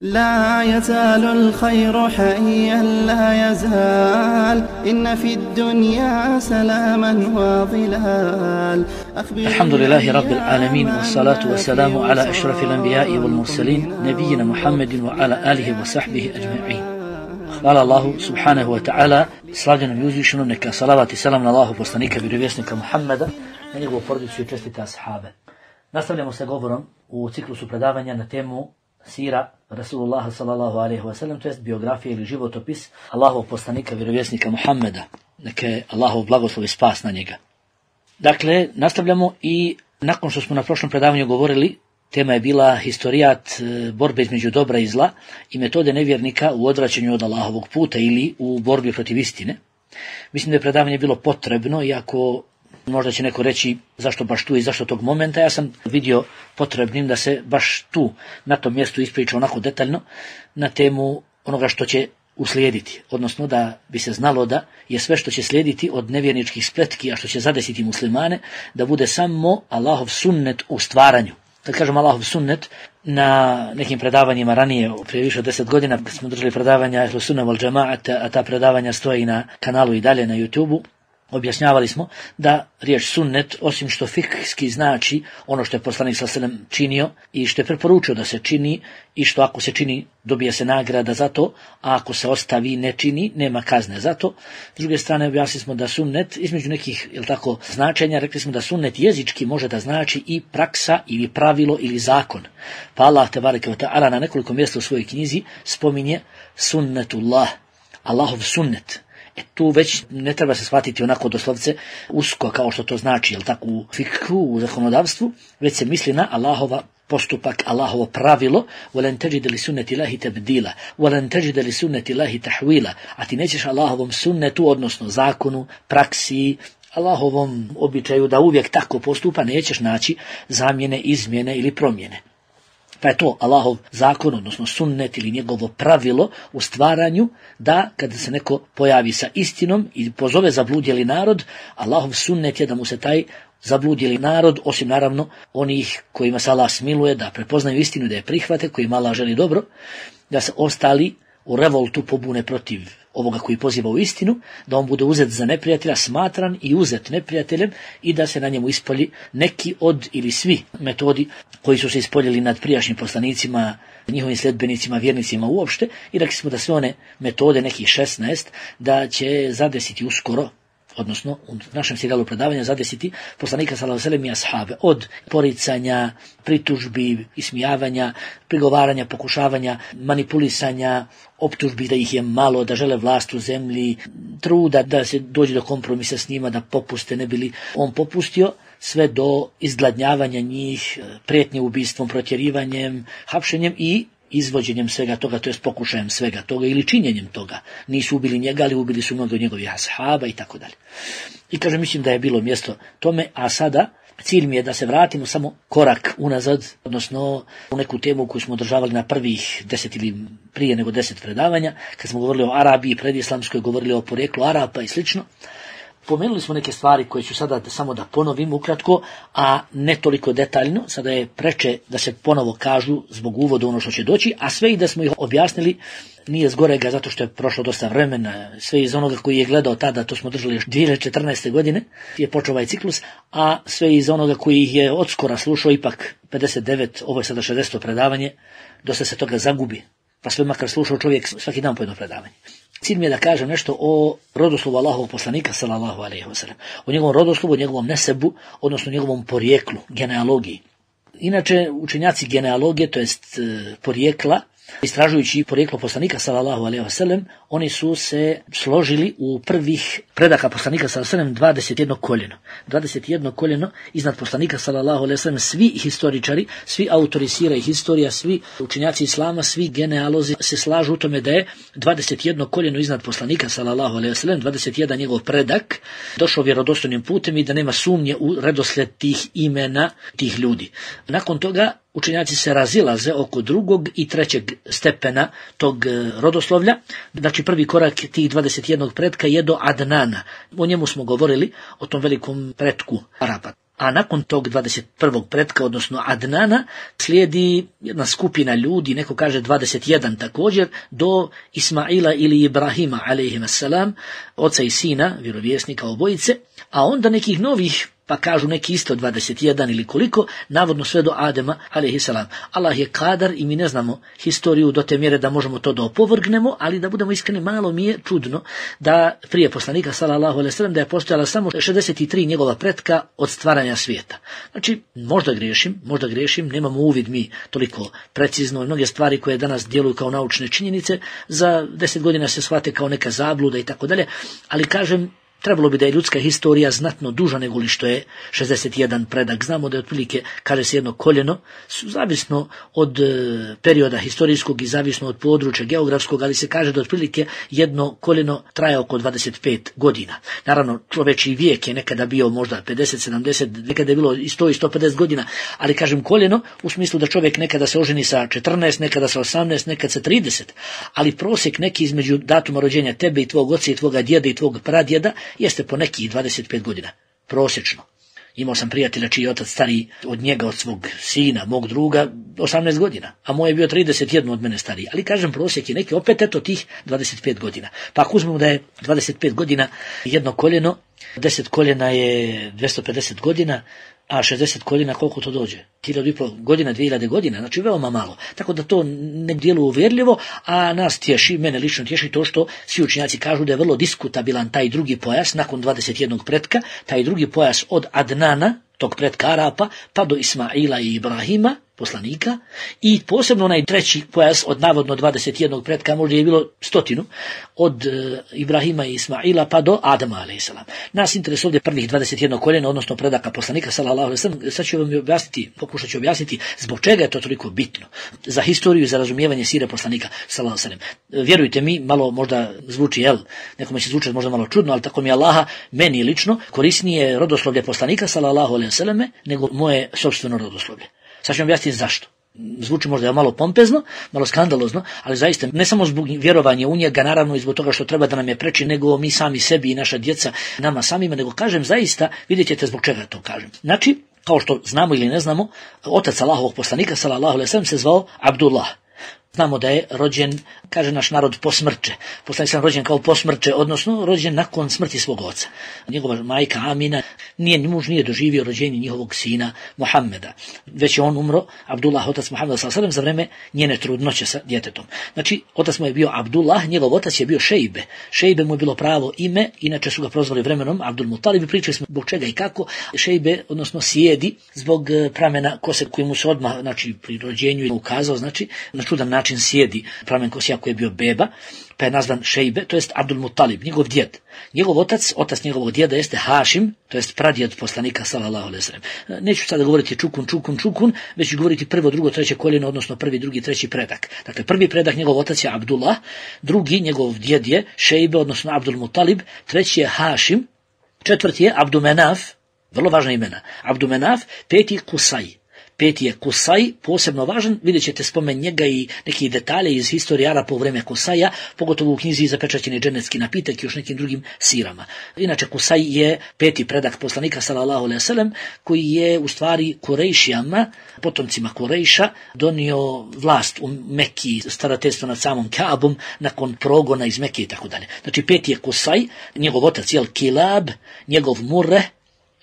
لا يزال الخير حيا لا يزال إن في الدنيا سلاما وظلال. الحمد لله رب العالمين والصلاة والسلام على أشرف الأنبياء والمرسلين نبينا محمد وعلى آله وصحبه أجمعين. Hvala Allahu subhanahu wa ta'ala, slavljenom i uzvišenom, neka salavat i salam na Allahu poslanika, vjerovjesnika Muhammeda, na njegovu porodicu i čestite ashabe. Nastavljamo sa govorom u ciklusu predavanja na temu sira Rasulullah sallallahu alaihi wa sallam, to jest biografija ili životopis Allahovog poslanika, vjerovjesnika Muhammeda, neka je Allahov blagoslov i spas na njega. Dakle, nastavljamo i nakon što smo na prošlom predavanju govorili, tema je bila historijat borbe između dobra i zla i metode nevjernika u odvraćanju od Allahovog puta ili u borbi protiv istine. Mislim da je predavanje bilo potrebno, iako možda će neko reći zašto baš tu i zašto tog momenta. Ja sam vidio potrebnim da se baš tu, na tom mjestu ispriča onako detaljno na temu onoga što će uslijediti. Odnosno da bi se znalo da je sve što će slijediti od nevjerničkih spletki, a što će zadesiti muslimane, da bude samo Allahov sunnet u stvaranju. Kad kažem Allahov sunnet, na nekim predavanjima ranije, prije više od 10 godina, kad smo držali predavanja Ehlu Sunna wal Džamaat, a ta predavanja stoji na kanalu i dalje na YouTubeu, objašnjavali smo da riječ sunnet, osim što fikski znači ono što je poslanik sallallahu alejhi ve sellem činio i što je preporučio da se čini i što ako se čini dobija se nagrada za to, a ako se ostavi ne čini nema kazne za to. S druge strane objasnili smo da sunnet između nekih značenja, rekli smo da sunnet jezički može da znači i praksa ili pravilo ili zakon. Pa Allah tebareke ve taala na nekoliko mjesta u svojoj knjizi spominje sunnetullah, Allahov sunnet. Tu već ne treba se shvatiti onako doslovce usko kao što to znači, u fikhu, u zakonodavstvu, već se misli na Allahova postupak, Allahovo pravilo, وَلَنْ تَجِدَ لِسُنَّةِ اللَّهِ تَبْدِيلًا وَلَنْ تَجِدَ لِسُنَّةِ اللَّهِ تَحْوِيلًا. A ti nećeš Allahovom sunnetu, odnosno zakonu, praksi, Allahovom običaju da uvijek tako postupa, nećeš naći zamjene, izmjene ili promjene. Pa je to Allahov zakon, odnosno sunnet ili njegovo pravilo u stvaranju, da kada se neko pojavi sa istinom i pozove zabludjeli narod, Allahov sunnet je da mu se taj zabludjeli narod, osim naravno onih kojima se Allah smiluje, da prepoznaju istinu, da je prihvate, kojima Allah želi dobro, da se ostali u revoltu pobune protiv ovoga koji poziva u istinu, da on bude uzet za neprijatelja, smatran i uzet neprijateljem i da se na njemu ispolji neki od ili svi metodi koji su se ispoljili nad prijašnjim poslanicima, njihovim sljedbenicima, vjernicima uopšte, i rekli smo da sve one metode, nekih 16, da će zadesiti uskoro, odnosno u našem serijalu predavanja zadesiti poslanika sallallahu alejhi ve sellem i ashabe, od poricanja, pritužbi, ismijavanja, prigovaranja, pokušavanja, manipulisanja, optužbi da ih je malo, da žele vlast u zemlji, truda da se dođe do kompromisa s njima, da popuste, ne bili on popustio, sve do izgladnjavanja njih, prijetnje ubistvom, protjerivanjem, hapšenjem i izvođenjem svega toga, to jest pokušajem svega toga ili činjenjem toga. Nisu ubili njega, ali ubili su mnogo od njegovih ashaba i tako dalje. I kažem, mislim da je bilo mjesto tome, a sada cilj mi je da se vratimo samo korak unazad, odnosno u neku temu koju smo održavali na prvih 10 ili prije nego 10 predavanja, kad smo govorili o Arabiji, predislamskoj, govorili o porijeklu Arapa i slično. Pomenuli smo neke stvari koje ću sada samo da ponovim ukratko, a ne toliko detaljno. Sada je preče da se ponovo kažu zbog uvoda ono što će doći, a sve i da smo ih objasnili nije zgorega zato što je prošlo dosta vremena. Sve iz onoga koji je gledao tada, to smo držali još 2014. godine, je počeo ovaj ciklus, a sve iz onoga koji ih je odskora slušao, ipak 59, ovo je sada 60. predavanje, dosta se toga zagubi. Pa sve makar slušao čovjek svaki dan po jedno predavanje. Cilj mi je da kažem nešto o rodoslovu Allahovog poslanika sallallahu alejhi ve sellem, o njegovom rodoslovu, o njegovom nesebu, odnosno njegovom porijeklu, genealogiji. Inače, učenjaci genealogije, to jest porijekla, istražujući porijeklo poslanika sallallahu alejhi ve sellem, oni su se složili u prvih predaka poslanika sallallahu alejhi ve sellem 21 koljeno. 21 koljeno iznad poslanika sallallahu alejhi ve sellem, svi historičari, svi autori sira i historija, svi učenjaci islama, svi genealozi se slažu u tome da je 21 koljeno iznad poslanika sallallahu alejhi ve sellem, 21 njegov predak, došao vjerodostojnim putem i da nema sumnje u redoslijed tih imena tih ljudi. Nakon toga učenjaci se razilaze oko drugog i trećeg stepena tog rodoslovlja. Znači prvi korak tih 21 pretka je do Adnana. O njemu smo govorili, o tom velikom pretku Arapa. a nakon tog 21. pretka, odnosno Adnana, slijedi jedna skupina ljudi, neko kaže 21 također, do Ismaila ili Ibrahima, alejhimassalam, oca i sina, vjerovjesnika obojice, a onda nekih novih, pa kažu neki isto 21 ili koliko, navodno sve do Adema, alejhissalam. Allah je kadar i mi ne znamo historiju do te mjere da možemo to da opovrgnemo, ali da budemo iskreni, malo mi je čudno da prije poslanika, sallallahu alejhi ve sellem, da je postojala samo 63 njegova pretka od stvaranja svijeta. Znači, možda griješim, nemamo uvid mi toliko precizno, mnoge stvari koje danas djeluju kao naučne činjenice, za 10 godina se shvate kao neka zabluda i tako dalje, ali kažem, trebalo bi da je ljudska historija znatno duža nego li što je 61 predak. Znamo da je otprilike, kaže se, jedno koljeno, zavisno od perioda historijskog i zavisno od područja geografskog, ali se kaže da otprilike jedno koljeno traje oko 25 godina. Naravno, čovječji vijek je nekada bio možda 50, 70, nekada je bilo i 100 i 150 godina, ali kažem koljeno u smislu da čovjek nekada se oženi sa 14, nekada sa 18, nekada sa 30, ali prosjek neki između datuma rođenja tebe i tvog oca i tvoga djeda i tvog pradjeda jeste po nekih 25 godina, prosječno. Imao sam prijatelja čiji je otac stariji od njega, od svog sina, mog druga, 18 godina, a moj je bio 31 od mene stariji. Ali kažem, prosjek je neki opet eto tih 25 godina. Pa ako uzmemo da je 25 godina jedno koljeno, 10 koljena je 250 godina, a 60 koljena koliko to dođe? 1500 godina, 2000 godina, znači veoma malo. Tako da to ne djeluje uvjerljivo, a nas tješi, mene lično tješi to što svi učenjaci kažu da je vrlo diskutabilan taj drugi pojas nakon 21. pretka, taj drugi pojas od Adnana, tog pretka Arapa, pa do Ismaila i Ibrahima, poslanika, i posebno onaj treći pojas od navodno 21. pretka, možda je bilo 100, od Ibrahima i Ismaila pa do Adama alejhissalam. Nas interesuje ovdje prvih 21 koljena, odnosno predaka poslanika sallallahu alejhi ve sellem. Sad ću vam pokušat ću objasniti zbog čega je to toliko bitno za historiju i za razumijevanje sire poslanika sallallahu alejhi ve sellem. Vjerujte mi, malo možda zvuči, nekome će zvučati možda malo čudno, ali tako mi Allaha, meni lično korisnije rodoslovlje poslanika sallallahu alejhi ve selleme nego moje sopstveno rodoslovlje. Sad ću vam objasniti zašto. Zvuči možda malo pompezno, malo skandalozno, ali zaista ne samo zbog vjerovanja u njega, naravno i zbog toga što treba da nam je preči, nego mi sami sebi i naša djeca nama samima, nego kažem zaista, vidjet ćete zbog čega to kažem. Znači, kao što znamo ili ne znamo, otac Allahovog poslanika, sallallahu alejhi ve sellem, se zvao Abdullah. Znamo da je rođen, kaže naš narod, posmrče. Poslanik sam rođen kao posmrče, odnosno rođen nakon smrti svog oca. Njegova majka Amina, muž nije doživio rođenje njihovog sina Muhammeda. Već je on umro, Abdullah, otac Muhammeda sallallahu alejhi ve sellem, za vreme njene trudnoće sa djetetom. Znači, otac mu je bio Abdullah, njegov otac je bio Šejbe. Šejbe mu je bilo pravo ime, inače su ga prozvali vremenom Abdul Mutalib. Pričali smo zbog čega i kako. Šejbe, odnosno sjedi, zbog pramena kose koji mu se odmah, znači pri rođenju ukazao, znači na čudan način sjedi pramen kose koji je bio beba, pa je nazvan Šejbe, to jest Abdul Mutalib, njegov djed. Njegov otac njegovog djeda jeste Hašim, to jest pradjed poslanika sallallahu alejhi ve sellem. Neću sada govoriti čukun, već ću govoriti prvo, drugo, treće koljeno, odnosno prvi, drugi, treći predak. Dakle, prvi predak njegov otac je Abdullah, drugi njegov djed je Šejbe, odnosno Abdul Mutalib, treći je Hašim, četvrti je Abdumenaf, vrlo važna imena, Abdumenaf, peti Kusaj. Peti je Kusaj, posebno važan, vidjet ćete spomen njega i neki detalje iz historije Arapa u vreme Kusaja, pogotovo u knjizi Zapečaćeni dženecki napitak i još nekim drugim sirama. Inače, Kusaj je peti predak poslanika sallallahu alejhi ve sellem, koji je u stvari Kurejšijama, potomcima Kurejša, donio vlast u Mekki, starateljstvo nad samom Kaabom, nakon progona iz Mekke i tako dalje. Znači, peti je Kusaj, njegov otac je Kilab, njegov Murre,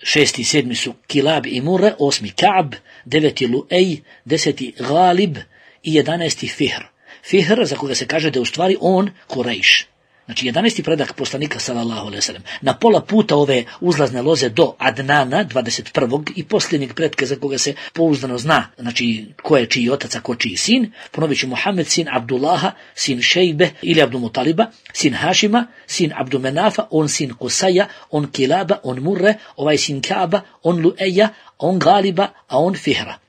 6. i 7. su Kilab i Murre, 8. Ka'b, 9. Lu'ej, 10. Ghalib i 11. Fihr. Fihr, za koga se kaže da je u stvari on Kurejš. Znači 11. predak poslanika sallallahu alejhi ve sellem. Na pola puta ove uzlazne loze do Adnana, 21. i posljednjeg pretka za koga se pouzdano zna, znači ko je čiji otac, a ko čiji sin, ponovit ću Muhammed, sin Abdullaha, sin Šejbe ili Abdul Mutaliba, sin Hašima, sin Abdumenafa, on sin Kusaja, on Kilaba, on Murre, ovaj sin Kaaba, on Lu'eja, on Galiba, a on Fihra.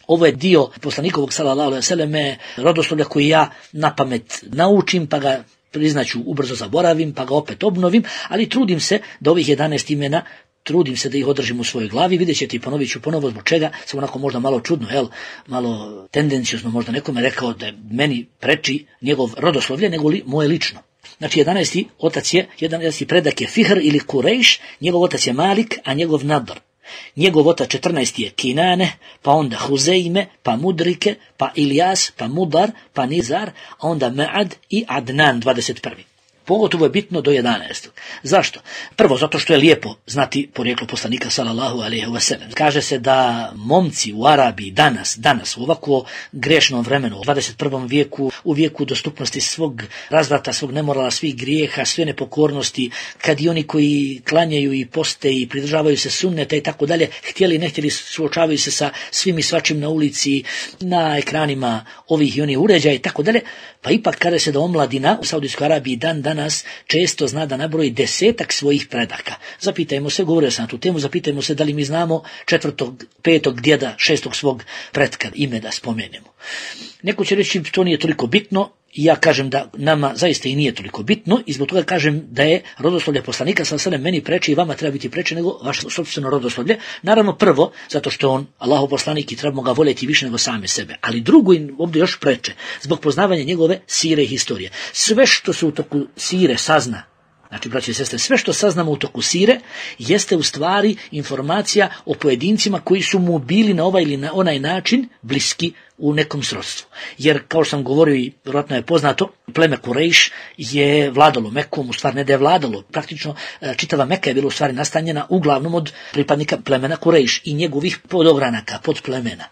Ovo je dio poslanikovog sallallahu alejhi ve selleme rodoslovlja koji ja na pamet naučim, pa ga priznaću ubrzo zaboravim, pa ga opet obnovim, ali trudim se da ovih 11 imena, trudim se da ih održim u svojoj glavi. Vidjet ćete i ponovit ću ponovo zbog čega sam onako možda malo čudno, malo tendencijozno možda nekome rekao da je meni preči njegov rodoslovlje nego li moje lično. Znači 11. otac je, 11. predak je Fihr ili Kurejš, njegov otac je Malik, a njegov Nadr. Njegov otac 14. je Kinane, pa onda Huzeime, pa Mudrike, pa Ilijas, pa Mudar, pa Nizar, a onda Ma'ad i Adnan 21. Pogotovo je bitno do 11. Zašto? Prvo, zato što je lijepo znati porijeklo poslanika sallallahu alejhi ve sellem. Kaže se da momci u Arabiji danas u ovako grešnom vremenu, u 21. vijeku, u vijeku dostupnosti svog razvrata, svog nemorala, svih grijeha, sve nepokornosti, kad i oni koji klanjaju i poste i pridržavaju se sunneta i tako dalje, htjeli ne htjeli suočavaju se sa svim i svačim na ulici, na ekranima ovih i onih uređaja i tako dalje, pa ipak kaže se da omladina u Saudijskoj Arabiji danas često zna da nabroji 10 svojih predaka. Zapitajmo se, govorio sam na tu temu, zapitajmo se da li mi znamo 4., 5. djeda, 6. svog pretka, ime da spomenemo. Neko će reći to nije toliko bitno, i ja kažem da nama zaista i nije toliko bitno i zbog toga kažem da je rodoslovlje poslanika sallallahu alejhi ve sellem meni preče i vama treba biti preče nego vaše sopstveno rodoslovlje. Naravno prvo, zato što on Allahov poslanik i trebamo ga voljeti više nego sami sebe, ali drugo i ovdje još preče, zbog poznavanja njegove sire i historije. Sve što se u toku sire sazna, znači, braći i sestre, sve što saznamo u toku sire jeste u stvari informacija o pojedincima koji su mu bili na ovaj ili na onaj način bliski u nekom srodstvu. Jer, kao što sam govorio i vjerojatno je poznato, pleme Kurejš je vladalo Mekom, u stvari ne da je vladalo, praktično čitava Meka je bila u stvari nastanjena uglavnom od pripadnika plemena Kurejš i njegovih podogranaka, podplemena.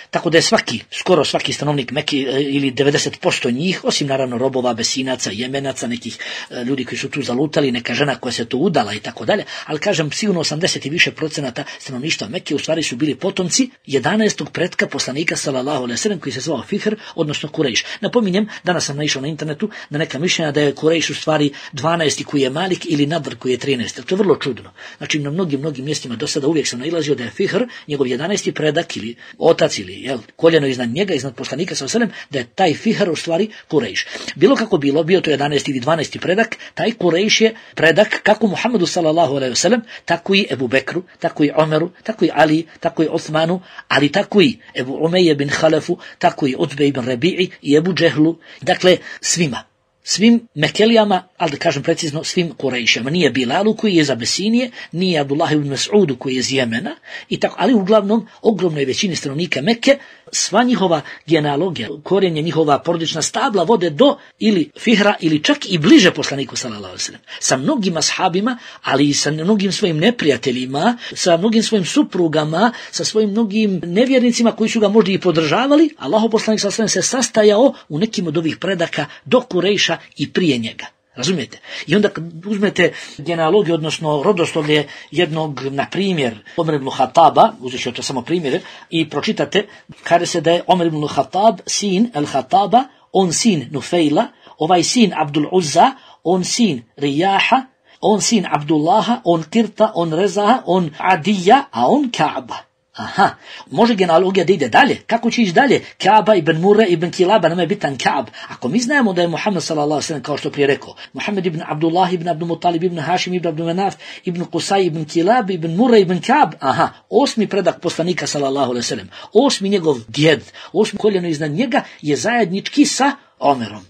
Tako da je skoro svaki stanovnik Mekke ili 90% njih, osim naravno robova, Besinaca, Jemenaca, nekih ljudi koji su tu zalutali, neka žena koja se tu udala i tako dalje, ali kažem sigurno 80 i više procenata stanovništva Mekke u stvari su bili potomci 11. pretka poslanika sallallahu alejhi ve sellem koji se zvao Fihr, odnosno Kurejš. Napominjem, danas sam naišao na internetu na neka mišljenja da je Kurejš u stvari 12. koji je Malik ili Nadr koji je 13. To je vrlo čudno. Znači na mnogim mjestima do sada uvijek sam nailazio da je Fihr, njegov 11. predak ili otac ili koljeno iznad njega, iznad poslanika sallallahu alejhi ve sellem, da je taj Fihr u stvari Kurejš. Bilo kako bilo, bio to 11. ili 12. predak, taj Kurejš je predak kako Muhammedu sallallahu alejhi ve sellem, tako i Ebu Bekru, tako i Omeru, tako i Ali, tako i Osmanu, ali tako i Ebu Umeje bin Halefu, tako i Utbe ibn Rabi'i i Ebu Džehlu, dakle svim Mekelijama, ali da kažem precizno, svim Kurejšama. Nije Bilalu koji je iz Abesinije, nije Abdullah ibn Mas'udu koji je iz Jemena, i tako, ali uglavnom ogromnoj većini stanovnika Mekke, sva njihova genealogija, korijenje njihova porodična stabla vode do ili Fihra ili čak i bliže poslaniku sallallahu alejhi ve sellem. Sa mnogim ashabima, ali i sa mnogim svojim neprijateljima, sa mnogim svojim suprugama, sa svojim mnogim nevjernicima koji su ga možda i podržavali, Allahov poslanik sallallahu alejhi ve sellem se sastajao u nekim od ovih predaka do Kurejša i prije njega. Razumijete? I onda kad uzmete genealogiju, odnosno rodoslovlje jednog, na primjer, Omer ibn Khattaba, uzet ću to samo primjere, i pročitate, kaže se da je Omer ibn Khattab sin el-Khattaba, on sin Nufejla, ovaj sin Abdul Uzza, on sin Rijaha, on sin Abdullaha, on Kirta, on Rezaha, on Adija, a on Kaaba. Aha, može genealogija da ide dalje. Kako će ići dalje? Kaaba ibn Murre ibn Kilaba, nama je bitan Kaab. Ako mi znamo da je Muhammed sallallahu alejhi ve sellem, kao što prije rekao, Muhammed ibn Abdullah ibn Abdul Muttalib ibn Hašim ibn Abdul Manaf ibn Qusay ibn Kilab ibn Murre ibn Kaab, aha, 8. predak poslanika sallallahu alejhi ve sellem, 8. njegov djed, 8. koljeno iznad njega je zajednički sa Omerom.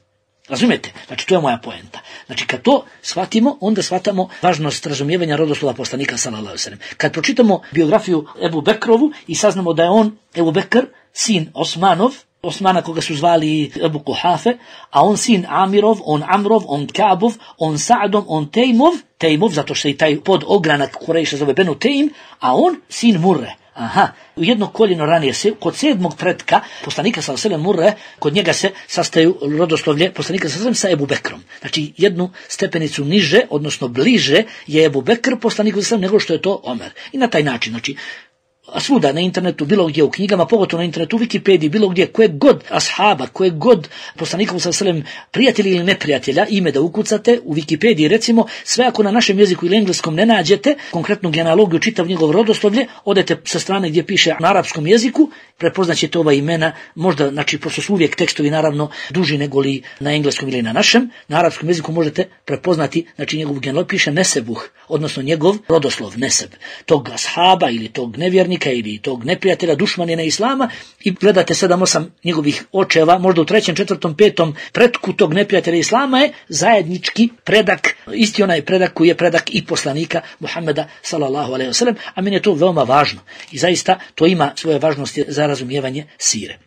Razumijete? Znači, to je moja poenta. Znači, kad to shvatimo, onda shvatamo važnost razumijevanja rodoslova poslanika sallallahu alejhi ve sellem. Kad pročitamo biografiju Ebu Bekrovu i saznamo da je on, Ebu Bekr, sin Osmana koga su zvali Ebu Kuhafe, a on sin Amirov, on Amrov, on Kaabov, on Sa'dom, on Tejmov, zato što i taj podogranak Kurejša zove Benu Tejm, a on sin Murre. Aha, u jedno koljeno ranije se, kod 7. pretka poslanika sallallahu alejhi ve sellem Murre, kod njega se sastaju rodoslovlje poslanika sallallahu alejhi ve sellem sa Ebu Bekrom. Znači jednu stepenicu niže, odnosno bliže je Ebu Bekr poslaniku sallallahu alejhi ve sellem nego što je to Omer. I na taj način, znači, a svuda na internetu, bilo gdje u knjigama, pogotovo na internetu, u Wikipediji, bilo gdje, kojeg god ashaba, kojeg god poslanikom sallallahu alejhi ve sellem prijatelja ili neprijatelja, ime da ukucate u Wikipediji, recimo, sve ako na našem jeziku ili engleskom ne nađete konkretnu genealogiju, čitav njegov rodoslovlje, odete sa strane gdje piše na arapskom jeziku, prepoznaćete ova imena, možda, znači, pošto su uvijek tekstovi naravno duži nego li na engleskom ili na našem, na arapskom jeziku možete prepoznati, znači, njegovu genealogiju, piše Nesebuh, odnosno njegov rodoslov, neseb, tog ashaba ili tog nevjernika ili tog neprijatelja, dušmanina islama, i gledate 7-8 njegovih očeva, možda u 3., 4., 5. pretku tog neprijatelja islama je zajednički predak, isti onaj predak koji je predak i poslanika Muhammeda sallallahu alejhi ve sellem, a meni je to veoma važno i zaista to ima svoje važnosti za razumijevanje sire.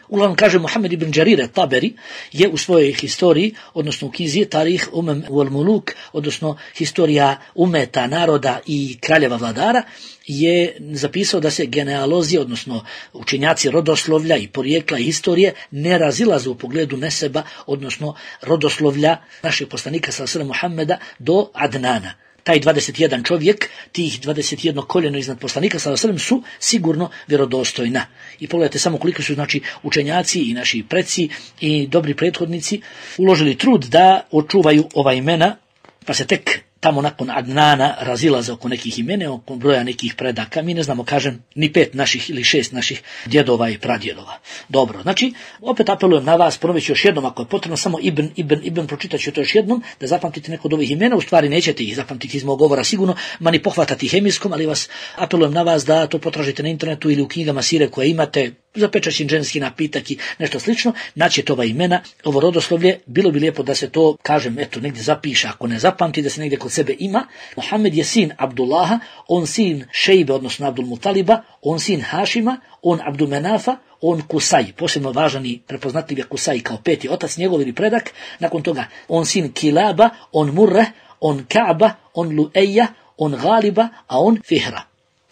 Uglavnom kaže Muhammed ibn Đarir Taberi je u svojoj historiji, odnosno u knjizi Tarih wal Muluk, odnosno historija umeta, naroda i kraljeva vladara, je zapisao da se genealozi, odnosno učenjaci rodoslovlja i porijekla i historije ne razilaze u pogledu neseba, odnosno rodoslovlja našeg poslanika sallallahu alejhi ve sellem Muhammeda do Adnana. Taj 21 čovjek, tih 21 koljeno iznad poslanika sallallahu alejhi ve sellem su sigurno vjerodostojna. I pogledajte samo koliko su znači učenjaci i naši preci i dobri prethodnici uložili trud da očuvaju ova imena, pa se tek tamo nakon Adnana razilaze oko nekih imena, oko broja nekih predaka. Mi ne znamo, kažem, ni 5 naših ili 6 naših djedova i pradjedova. Dobro, znači, opet apelujem na vas, ponovit ću još jednom, ako je potrebno, samo Ibn, pročitat ću to još jednom, da zapamtite neko od ovih imena, u stvari nećete ih zapamtiti iz mog govora sigurno, ma ni pohvatati hemijskom, ali vas apelujem na vas da to potražite na internetu ili u knjigama sire koje imate, zapečaćen ženski napitak i nešto slično, naćete ova imena, ovo rodoslovlje, bilo bi lijepo da se to, kažem, eto, negdje zapiše, ako ne zapamti, da se negdje kod sebe ima. Muhammed je sin Abdullaha, on sin Šejbe, odnosno Abdul Mutaliba, on sin Hašima, on Abdul Menafa, on Kusaj, posebno važan i prepoznatljiv je Kusaj kao 5. otac njegov ili predak, nakon toga on sin Kilaba, on Murre, on Kaaba, on Lueja, on Galiba, a on Fihra.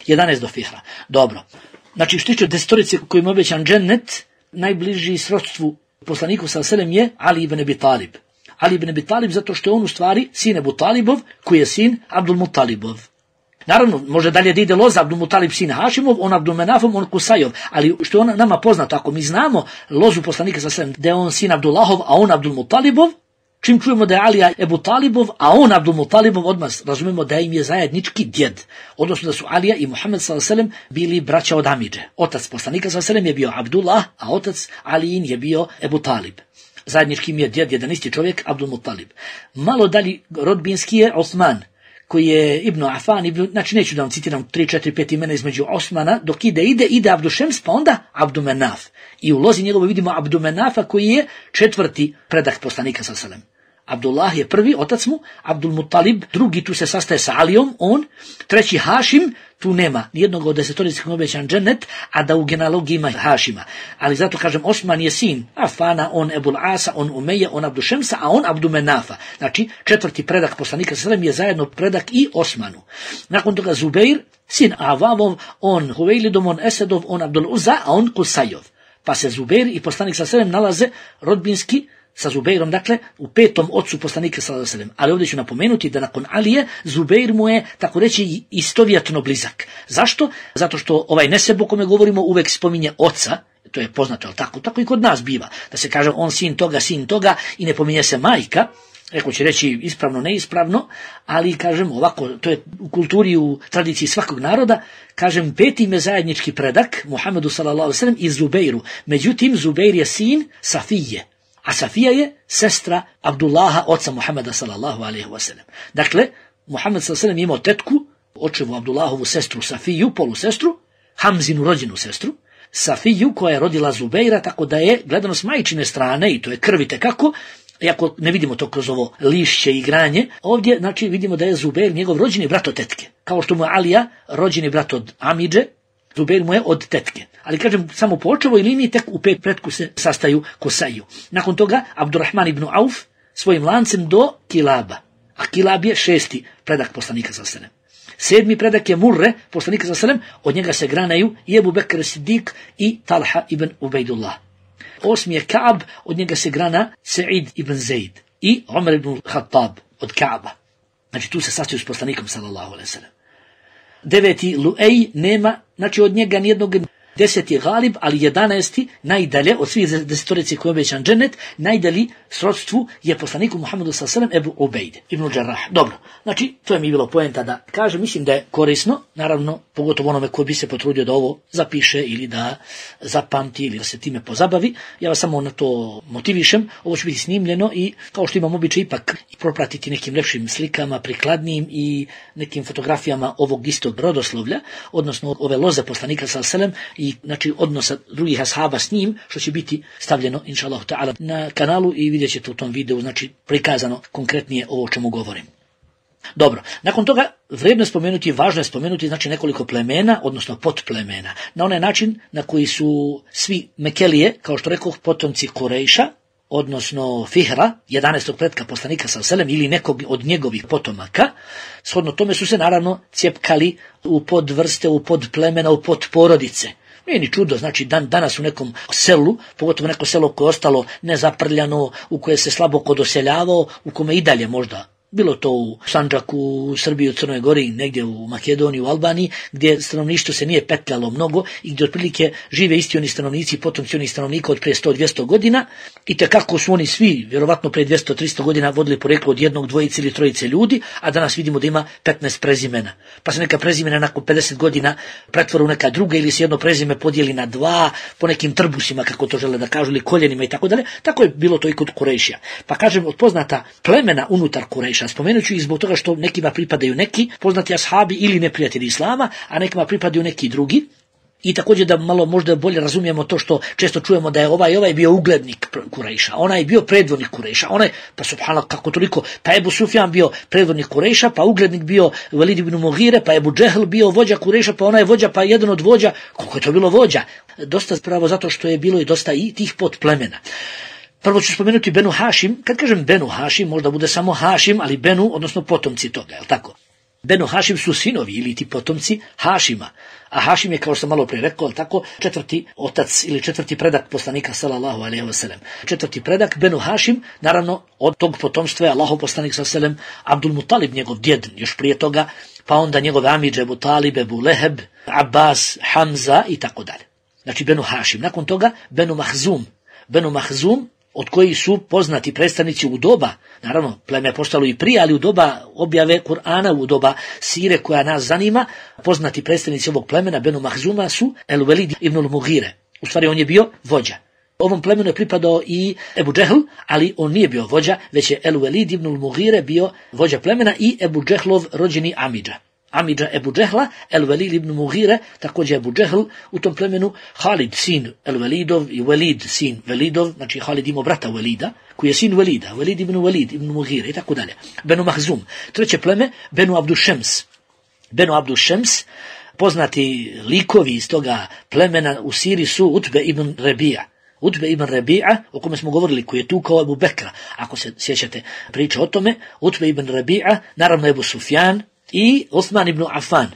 11 do Fihra. Dobro. Znači, što tiče desetorice kojim je obećan džennet, najbliži srodstvu poslaniku sallallahu alejhi ve sellem je Ali ibn Abi Talib. Ali ibn Abi Talib zato što je on u stvari sin Abu Talibov, koji je sin Abdul Mutalibov. Naravno, može dalje da ide loza Abdul Mutalib sin Hašimov, on Abdul Menafov, on Kusajov, ali što je nama poznato, ako mi znamo lozu poslanika sallallahu alejhi ve sellem, da je on sin Abdullahov, a on Abdul Mutalibov, čim čujemo da je Alija Ebu Talibov, a on Abdul Mutalibov, odmah razumemo da im je zajednički djed. Odnosno da su Alija i Muhammed sallallahu alejhi ve sellem bili braća od amidže. Otac poslanika sallallahu alejhi ve sellem je bio Abdullah, a otac Alijin je bio Ebu Talib. Zajednički im je djed, jedan isti čovjek, Abdul Mutalib. Malo dalje rodbinski je Osman, koji je Ibn Afan, znači neću da vam citiram 3, 4, 5 imena između Osmana, dok ide Abdul Šems, pa onda Abdul Menaf. I u lozi njegovo vidimo Abdul Menafa, koji je 4. predak poslanika sallallahu alejhi ve sellem. Abdullah je prvi, otac mu, Abdul Mutalib, drugi, tu se sastaje sa Alijom, on, 3. Hašim, tu nema nijednog od desetorice koji je obećan džennet, a da u genealogiji ima Hašima. Ali zato kažem, Osman je sin Afana, on Ebul Asa, on Umeja, on Abdul Šemsa, a on Abdul Menafa. Znači, 4. predak poslanika sallallahu alejhi ve sellem je zajedno predak i Osmanu. Nakon toga Zubeir, sin Avavov, on Huvejlidov, on Esedov, on Abdul Uzza, a on Kusajov. Pa se Zubeir i poslanik sallallahu alejhi ve sellem nalaze rodbinski sa Zubeirom, dakle, u 5. ocu poslanika sallallahu alejhi ve sellem. Ali ovdje ću napomenuti da nakon Alije, Zubeir mu je, tako reći, istovjetno blizak. Zašto? Zato što ovaj neseb o kome govorimo uvek spominje oca, to je poznato, ali tako i kod nas biva, da se kaže on sin toga i ne pominje se majka. Neko će reći ispravno, neispravno, ali kažem ovako, to je u kulturi, u tradiciji svakog naroda, kažem 5. je zajednički predak Muhammedu sallallahu alejhi ve sellem i Zubeiru. Međutim, Zubeir je sin Safije, a Safija je sestra Abdullaha, oca Muhammeda sallallahu alejhi ve sellem. Dakle, Muhammed sallallahu alejhi ve sellem je imao tetku, očevu Abdullahovu sestru Safiju, polusestru, Hamzinu rođenu sestru, Safiju koja je rodila Zubeira, tako da je gledano s majčine strane, i to je krvi tekako, iako ne vidimo to kroz ovo lišće i igranje, ovdje znači vidimo da je Zubeir njegov rođeni brat od tetke, kao što mu je Alija rođeni brat od amidže, Zubeir mu je od tetke. Ali kažem, samo po očevoj liniji tek u 5 pretku se sastaju Kusaju. Nakon toga Abdurrahman ibn Auf svojim lancem do Kilaba. A Kilab je 6. predak poslanika sallallahu alejhi ve sellem. 7. predak je Murre, poslanika sallallahu alejhi ve sellem, od njega se granaju i Ebu Bekr Siddiq i Talha ibn Ubejdullah. 8. je Kaab, od njega se grana Sa'id ibn Zaid i Omer ibn Khattab od Kaaba. Znači tu se sastaju s poslanikom sallallahu alejhi ve sellem. 9. Luej nema, znači od njega nijednog 10 je Galib, ali 11 najdalje od svih 10 koji je obećan džennet, najdalji srodstvu je poslaniku Muhammedu s.a.v. Ebu Ubejd ibn Đarrah. Dobro, znači to je mi bilo poenta da kaže, mislim da je korisno, naravno pogotovo onome koji bi se potrudio da ovo zapiše ili da zapamti ili da se time pozabavi. Ja vas samo na to motivišem, ovo će biti snimljeno i kao što imam običaj ipak propratiti nekim lepšim slikama, prikladnijim i nekim fotografijama ovog istog rodoslovlja, odnosno ove loze poslanika s.a.v. i znači odnosa drugih ashaba s njim, što će biti stavljeno inšallahu ta'ala na kanalu i vidjet ćete u tom videu, znači prikazano konkretnije ovo o čemu govorim. Dobro, nakon toga vrijedno je spomenuti, važno je spomenuti znači nekoliko plemena, odnosno potplemena, na onaj način na koji su svi Mekelije, kao što rekoh, potomci Kurejša, odnosno Fihra, 11. pretka poslanika s.a.v. ili nekog od njegovih potomaka, shodno tome su se naravno cijepkali u podvrste, u podplemena, u podporodice. Nije ni čudo, znači danas u nekom selu, pogotovo neko selo koje je ostalo nezaprljano, u koje se slabo ko doseljavao, u kome i dalje možda, bilo to u Sandžaku, u Srbiji, u Crnoj Gori, negdje u Makedoniji, u Albaniji, gdje stanovništvo se nije petljalo mnogo i gdje otprilike žive isti oni stanovnici, potomci onih stanovnika od prije 100-200 godina i tekako su oni svi, vjerovatno prije 200-300 godina vodili poreklo od jednog, dvojice ili trojice ljudi, a danas vidimo da ima 15 prezimena. Pa se neka prezimena nakon 50 godina pretvore u neka druga ili se jedno prezime podijeli na dva, po nekim trbusima, kako to žele da kažu, ili koljenima i tako dalje. Tako je bilo to i kod Kurejšija. Pa kažem, od poznata plemena unutar Kurejša, spomenut ću i zbog toga što nekima pripadaju neki poznati ashabi ili neprijatelji islama, a nekima pripadaju neki drugi. I također da malo možda bolje razumijemo to što često čujemo da je ovaj bio uglednik Kurejša, onaj je bio predvodnik Kurejša, pa subhanallah kako toliko, pa Ebu Sufjan bio predvodnik Kurejša, pa uglednik bio Velid ibn Mughire, pa Ebu Džehl bio vođa Kurejša, pa onaj vođa, pa jedan od vođa, koliko je to bilo vođa? Dosta pravo zato što je bilo i dosta i tih potplemena. Prvo ću spomenuti Benu Hašim. Kad kažem Benu Hašim, možda bude samo Hašim, ali Benu, odnosno potomci toga, je li tako? Benu Hašim su sinovi ili ti potomci Hašima. A Hašim je, kao što sam malo prije rekao, tako, 4. otac ili 4. predak poslanika sallallahu alejhi ve sellem. 4. predak Benu Hašim, naravno od tog potomstva je Allahov poslanik sallallahu alejhi ve sellem Abdul Mutalib, njegov djed, još prije toga, pa onda njegove amidže Ebu Talib, Ebu Leheb, Abbas, Hamza i tako dalje. Znači Benu Hašim. Nakon toga Benu Mahzum. Benu Mahzum, od kojih su poznati predstavnici u doba, naravno pleme je postalo i prije, ali u doba objave Kur'ana, u doba sire koja nas zanima, poznati predstavnici ovog plemena Benu Mahzuma su El Velid ibn Mughire. U stvari on je bio vođa. Ovom plemenu je pripadao i Ebu Džehl, ali on nije bio vođa, već je El Velid ibn Mughire bio vođa plemena i Ebu Džehlov rođeni amidža. Amidža Ebu Džehla, El Velid ibn Mughire, također Ebu Džehl u tom plemenu, Halid sin El Velidov i Velid sin Velidov, znači Halid imao brata Velida, koji je sin Velida, Velid ibn Mughire i tako dalje. Benu Mahzum. Treće pleme, Benu Abdušems. Benu Abdušems, poznati likovi iz toga plemena u Siriji su Utbe ibn Rebija. Utbe ibn Rebija, o kome smo govorili, koji je tukao Ebu Bekra, ako se sjećate priče o tome, Utbe ibn Rebija, naravno Ebu Sufjan, i Osman ibn Affan.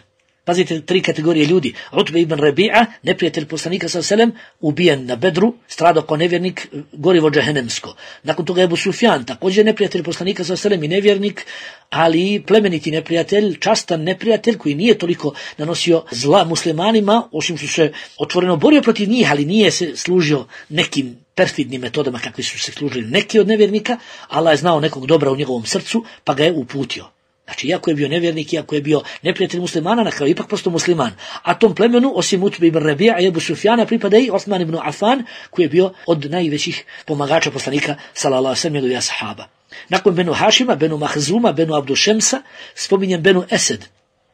Pazite, 3 kategorije ljudi. Utbe ibn Rebija, neprijatelj poslanika s.a.v. ubijen na Bedru, stradao kao nevjernik, gorivo džehennemsko. Nakon toga Ebu Sufjan, također neprijatelj poslanika s.a.v. i nevjernik, ali plemeniti neprijatelj, častan neprijatelj koji nije toliko nanosio zla muslimanima, osim što se otvoreno borio protiv njih, ali nije se služio nekim perfidnim metodama kakvi su se služili neki od nevjernika. Allah je znao nekog dobra u njegovom srcu, pa ga je uputio. Znači, iako je bio nevjernik, iako je bio neprijatelj muslimana, na kraju ipak postao musliman. A tom plemenu, osim Utbe ibn Rebija i Ebu Sufjana, pripada i Osman ibn Affan, koji je bio od najvećih pomagača poslanika, sallallahu alejhi ve sellem, njegovih ashaba. Nakon Benu Hašima, Benu Mahzuma, Benu Abdušemsa, spominjem Benu Esed.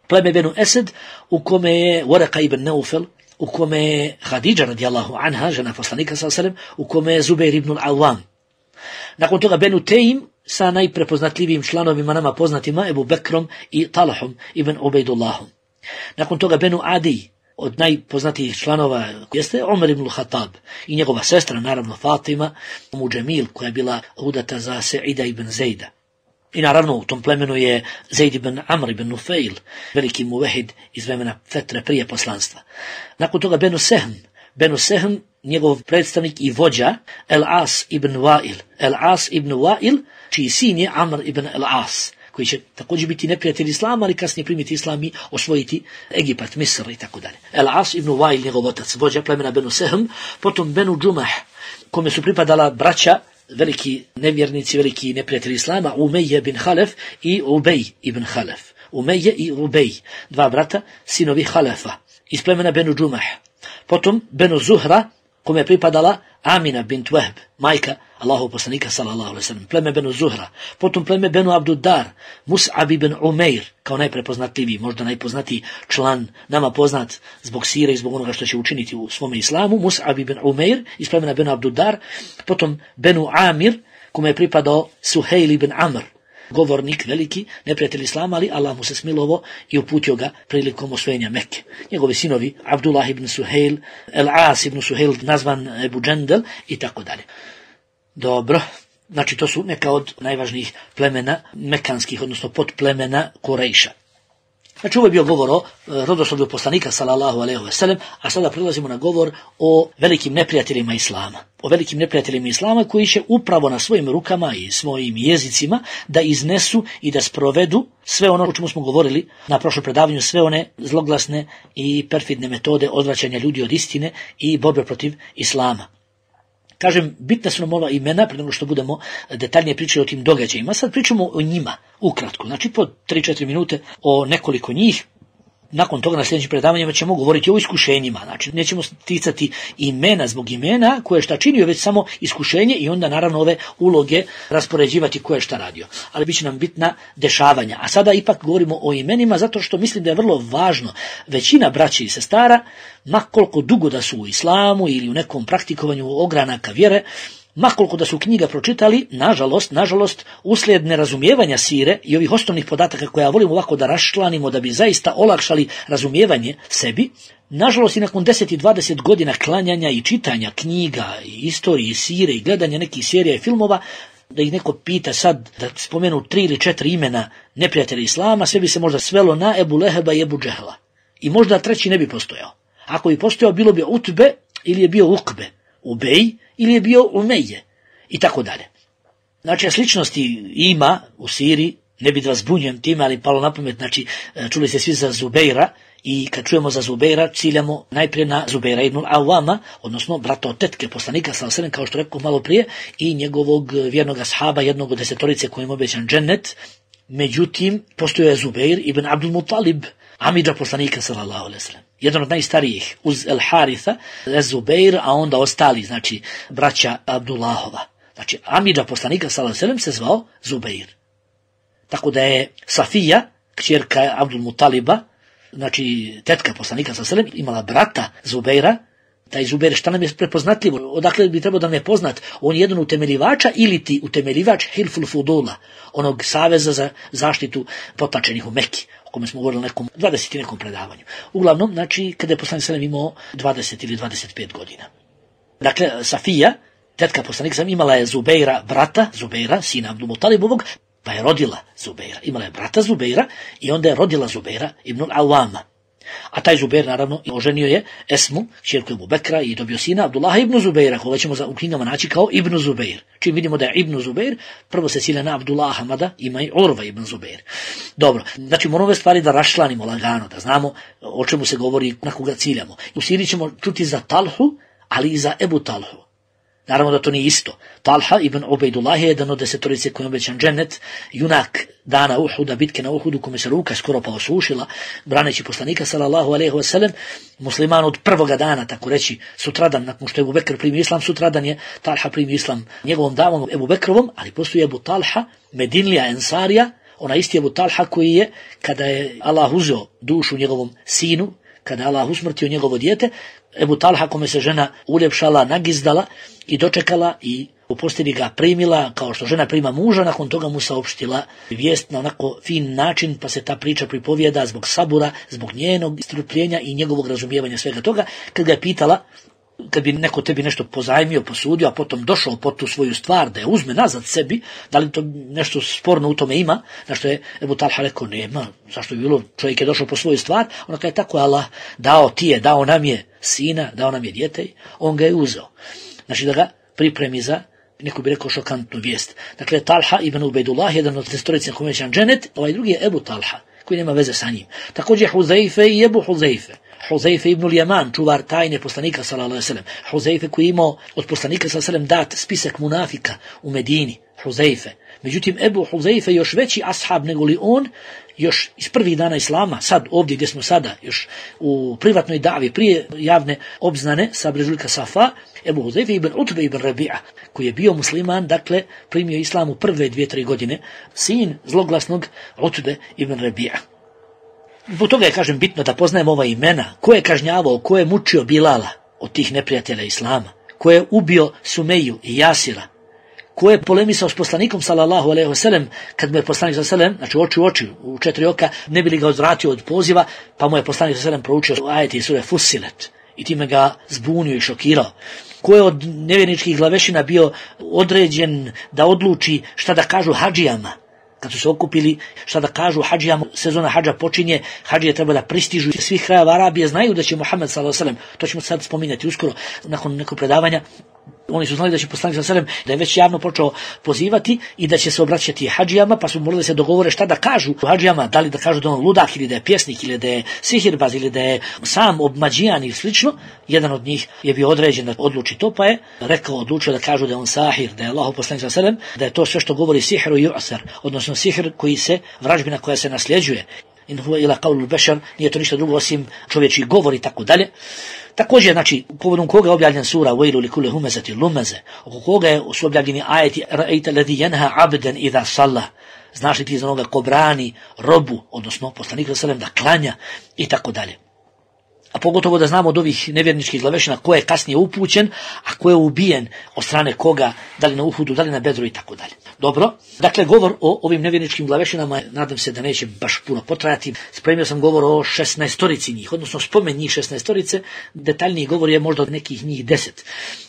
Pleme Benu Esed, u kome je Waraka ibn Naufel, u kome je Hadidža radijallahu anha, žena poslanika, sallallahu alejhi ve sellem, u kome je Zubair ibn al-Awwam. Nakon toga Benu Tejim, sa najprepoznatljivijim članovima nama poznatima Ebu Bekrom i Talahom ibn Ubejdullahom. Nakon toga Benu Adi, od najpoznatijih članova jeste Omer ibn Khattab i njegova sestra, naravno Fatima, Džemil, koja je bila udata za Seida ibn Zejda. I naravno u tom plemenu je Zeid ibn Amr ibn Nufail, veliki muvehid iz vremena Fetre prije poslanstva. Nakon toga Benu Sehm. Benu Sehm, njegov predstavnik i vođa, El As ibn Wa'il. El As ibn Wa'il, čiji sin je Amr ibn El As, koji će također biti neprijatelj islama, ali kasnije primiti islam i osvojiti Egipat, Misr i tako dalje. El-As ibn Wail, njegov otac, vođa plemena Benu Sehm, potom Benu Džumah, kome su pripadala braća, veliki nevjernici, veliki neprijatelji islama, Umeje bin Halef i Ubej ibn Halef. Umeje i Ubej, dva brata, sinovi Halefa, iz plemena Benu Džumah. Potom Benu Zuhra, kome je pripadala Amina bint Wahb, majka Allahov poslanika sallallahu alejhi ve sellem, pleme Benu Zuhra. Potom pleme Benu Abduddar, Mus'ab ibn Umeir, kao najprepoznatljiviji, možda najpoznatiji član, nama poznat zbog sire i zbog onoga što će učiniti u svome islamu, Mus'ab ibn Umeir iz plemena Benu Abduddar. Potom Benu Amir, kome je pripadao Suhejl ibn Amr, govornik veliki, neprijatelj islama, ali Allah mu se smilovo i uputio ga prilikom osvojenja Mekke. Njegovi sinovi, Abdullah ibn Suhejl, El-As ibn Suhejl, nazvan Ebu Džendel i tako dalje. Dobro, znači to su neka od najvažnijih plemena mekanskih, odnosno podplemena Kurejša. Znači ovo je bio govor o rodoslovlju poslanika sallallahu alejhi ve sellem, a sada prelazimo na govor o velikim neprijateljima islama. O velikim neprijateljima islama koji će upravo na svojim rukama i svojim jezicima da iznesu i da sprovedu sve ono o čemu smo govorili na prošlom predavanju, sve one zloglasne i perfidne metode odvraćanja ljudi od istine i borbe protiv islama. Kažem, bitna su nam ova imena, prije nego što budemo detaljnije pričali o tim događajima. Sad pričamo o njima, ukratko. Znači, po 3-4 minute o nekoliko njih. Nakon toga na sljedećim predavanjima ćemo govoriti o iskušenjima. Znači, nećemo ticati imena zbog imena, koje šta činio, već samo iskušenje i onda naravno ove uloge raspoređivati ko je šta radio. Ali bit će nam bitna dešavanja. A sada ipak govorimo o imenima zato što mislim da je vrlo važno. Većina braće i sestara, makoliko dugo da su u islamu ili u nekom praktikovanju ogranaka vjere, makoliko da su knjiga pročitali, nažalost, uslijed nerazumijevanja sire i ovih osnovnih podataka koje ja volim ovako da raščlanimo da bi zaista olakšali razumijevanje sebi, nažalost i nakon 10 i 20 godina klanjanja i čitanja knjiga i istorije i sire i gledanja nekih serija i filmova, da ih neko pita sad da spomenu 3 ili 4 imena neprijatelja islama, sve bi se možda svelo na Ebu Leheba i Ebu Džehla. I možda treći ne bi postojao. Ako bi postojao, bilo bi Utbe ili je bio Ukbe, Ubej ili je bio Umeje i tako dalje. Znači, sličnosti ima u siri, ne bi da vas zbunjujem time, ali palo na pamet, znači, čuli ste svi za Zubeira i kad čujemo za Zubeira, ciljamo najprije na Zubeira ibn Awama, odnosno brata od tetke poslanika sallallahu alejhi ve sellem, kao što rekao malo prije, i njegovog vjernog ashaba, jednog od 10 kojim obećan džennet. Međutim, postojao je Zubeir ibn Abdul Muttalib, amidža poslanika sallallahu alejhi ve sellem, jedan od najstarijih uz El Haritha, Zubeir, a onda ostali, znači braća Abdullahova. Znači, amidža poslanika sallallahu alejhi ve sellem se zvao Zubeir. Tako da je Safija, kćerka Abdul Muttaliba, znači tetka poslanika sallallahu alejhi ve sellem, imala brata Zubeira. Taj Zubeir, šta nam je prepoznatljivo, odakle bi trebao da nam je poznat, on je jedan utemeljivača ili ti utemeljivač Hilful Fudula, onog saveza za zaštitu potlačenih u Mekki, o kome smo govorili nekom 20 i nekom predavanju. Uglavnom, znači, kada je poslanik sallallahu alejhi ve sellem imao 20 ili 25 godina. Dakle, Safija, tetka poslanika sallallahu alejhi ve sellem, imala je Zubeira, brata Zubeira, sina Abdul Muttalibovog, pa je rodila Zubeira. Imala je brata Zubeira i onda je rodila Zubeira ibn Awama. A taj Zubeir, naravno, oženio je Esmu, kćerku Ebu Bekra, i dobio sina Abdullaha ibn Zubeira, koga ćemo u knjigama naći kao Ibn Zubeir. Čim vidimo da je Ibn Zubeir, prvo se cilja na Abdullaha, mada ima i Urva ibn Zubeir. Dobro, znači moramo ove stvari da raščlanimo lagano, da znamo o čemu se govori, na koga ciljamo. U Siriji ćemo čuti za Talhu, ali i za Ebu Talhu. Naravno da to nije isto. Talha ibn Ubejdullah je jedan od 10 kojim obećan džennet, junak dana Uhuda, bitke na Uhudu, kome se ruka skoro pa osušila, braneći poslanika sallallahu alejhi ve sellem, musliman od prvoga dana, tako reći, sutradan, nakon što je Ebu Bekr primio islam, sutradan je Talha primio islam njegovom davom Ebu Bekrovom, ali postoji Ebu Talha, Medinlija Ensarija, ona isti Ebu Talha koji je, kada je Allah uzeo dušu njegovom sinu, kada je Allah usmrtio njegovo dijete, Ebu Talha, kome se žena uljepšala, nagizdala i dočekala i u postelji ga primila kao što žena prima muža, nakon toga mu saopštila vijest na onako fin način, pa se ta priča pripovijeda zbog sabura, zbog njenog strpljenja i njegovog razumijevanja svega toga. Kad ga je pitala, kad bi neko tebi nešto pozajmio, posudio, a potom došao po tu svoju stvar da je uzme nazad sebi, da li to nešto sporno u tome ima, na što je Ebu Talha rekao, nema, zašto bi bilo, čovjek je došao po svoju stvar, ona kada je tako Allah dao ti je, dao nam je sina, dao nam je dijete, on ga je uzeo. Znači da ga pripremi za neko bi rekao šokantnu vijest. Dakle, Talha ibn Ubejdullah, jedan od testorici na komećan dženet, ovaj drugi je Ebu Talha, koji nema veze sa njim. Također Huzeife i Ebu Huzeife. Huzeife ibn Ljaman, čuvar tajne poslanika sallallahu alejhi ve sellem. Huzeife koji je imao od poslanika sallallahu alejhi ve sellem dat spisak munafika u Medini. Huzeife. Međutim, Ebu Huzeife još veći ashab nego li on, još iz prvih dana Islama, sad ovdje gdje smo sada, još u privatnoj davi, prije javne obznane sa Brežuljka Safa, Ebu Huzeife ibn Utbe ibn Rabi'a, koji je bio musliman, dakle, primio Islam u prve 2-3 godine, sin zloglasnog Utbe ibn Rabi'a. Zbog toga je, kažem, bitno da poznajemo ova imena, ko je kažnjavao, ko je mučio Bilala od tih neprijatelja Islama, ko je ubio Sumeju i Jasira, ko je polemisao s poslanikom sallallahu alejhi ve sellem, kad mu je poslanik sallallahu alejhi ve sellem, znači oči u oči, u 4 oka, ne bi li ga odvratio od poziva, pa mu je poslanik sallallahu alejhi ve sellem proučio ajete iz sure Fussilet i time ga zbunio i šokirao. Ko je od nevjerničkih glavešina bio određen da odluči šta da kažu hadžijama, kad su se okupili, šta da kažu hadžijama, sezona hadža počinje, hadžije treba da pristižu iz svih krajeva Arabije, znaju da će Muhammed sallallahu alejhi ve sellem, to ćemo sad spominjati uskoro nakon nekog predavanja, oni su znali da će poslanik sallallahu alejhi ve sellem, da je već javno počeo pozivati i da će se obraćati hadžijama, pa su morali da se dogovore šta da kažu hadžijama, da li da kažu da on ludak ili da je pjesnik ili da je sihirbaz ili da je sam obmađijan ili slično. Jedan od njih je bio određen da odluči to, pa je odlučio da kažu da je on sahir, da je Allahov poslanik sallallahu alejhi ve sellem, da je to sve što govori sihru i yu'sar, odnosno sihr koji se, vražbina koja se nasljeđuje. In huwa ila qawlul bashar, nije to ništa drugo osim čovječji govor i tako dalje. Također, znači, povodom koga je objavljen sura Wailu li kulli humazati lumaze, oko koga su objavljeni ajeti ra'aita alladhi yanha 'abdan idha salla, znaš li ti za onoga ko brani robu, odnosno poslanika sallallahu alejhi ve sellem da klanja i tako dalje. A pogotovo da znamo od ovih nevjerničkih glavešina ko je kasnije upućen, a ko je ubijen od strane koga, da li na Uhudu, da li na Bedru i tako dalje. Dobro, dakle govor o ovim nevjerničkim glavešinama, nadam se da neće baš puno potrajati. Spremio sam govor o 16 njih, odnosno spomen njih 16, detaljniji govor je možda od nekih njih 10.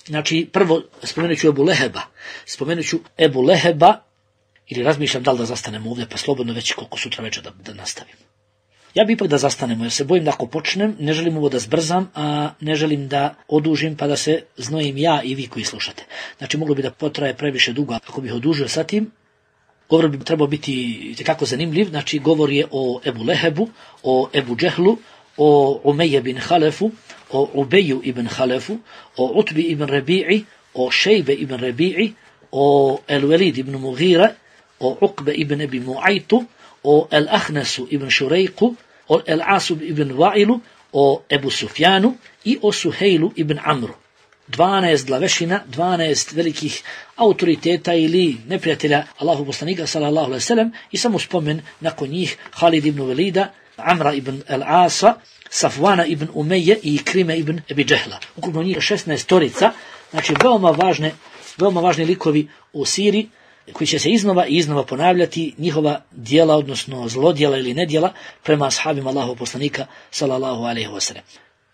Znači, prvo spomenut ću Ebu Leheba, ili razmišljam da li da zastanemo ovdje, pa slobodno već koliko sutra večer da nastavim. Ja bi ipak da zastanemo, jer se bojim da ako počnem, ne želim ovo da zbrzam, a ne želim da odužim pa da se znojim ja i vi koji slušate. Znači, moglo bi da potraje previše dugo, ako bih odužio sa tim. Govor bi trebao biti tekako zanimljiv, znači govor je o Ebu Lehebu, o Ebu Džehlu, o Umeje bin Halefu, o Ubeju ibn Halefu, o Utbi ibn Rabi'i, o Šejbe ibn Rabi'i, o El-Velid ibn Mughira, o Uqbe ibn Abi Mu'aytu, o El-Ahnesu ibn Šurejku, o El-Asu ibn Va'ilu, o Ebu Sufjanu i o Suhejlu ibn Amru. 12 glavešina, 12 velikih autoriteta ili neprijatelja Allahu poslanika sallallahu alejhi ve sellem i samo spomen nakon njih Halid ibn Velida, Amra ibn Al-Asa, Safvana ibn Umeje i Krime ibn Abi Džehla. Ukupno njih 16, znači veoma važni likovi u siri, koji će se iznova ponavljati njihova djela, odnosno zlodjela ili nedjela prema ashabima Allahov poslanika sallallahu alejhi ve sellem.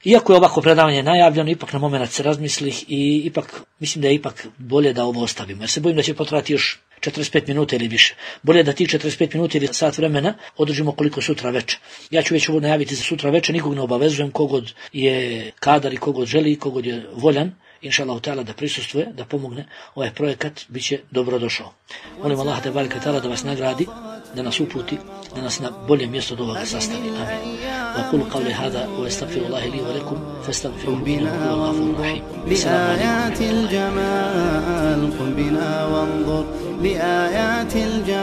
Iako je ovako predavanje najavljeno, ipak na moment se razmislih i ipak mislim da je ipak bolje da ovo ostavimo, jer se bojim da će potrajati još 45 minuta ili više. Bolje da tih 45 minuta ili sat vremena održimo koliko sutra večer. Ja ću već ovo najaviti za sutra večer, nikog ne obavezujem, kogod je kadar i kogod želi, kogod je voljan, inša Allah ta'ala da prisustvuje, da pomogne ovaj projekat, bit će dobro došao. Molim Allah da vas nagradi, da nas uputi, da nas na bolje mjesto od ovoga sastavi. Amin. وأقول قولي هذا وأستغفر الله لي ولكم فاستغفروه إنه هو الغفور الرحيم. بآيات الجمال قم بنا وانظر لآيات الجمال.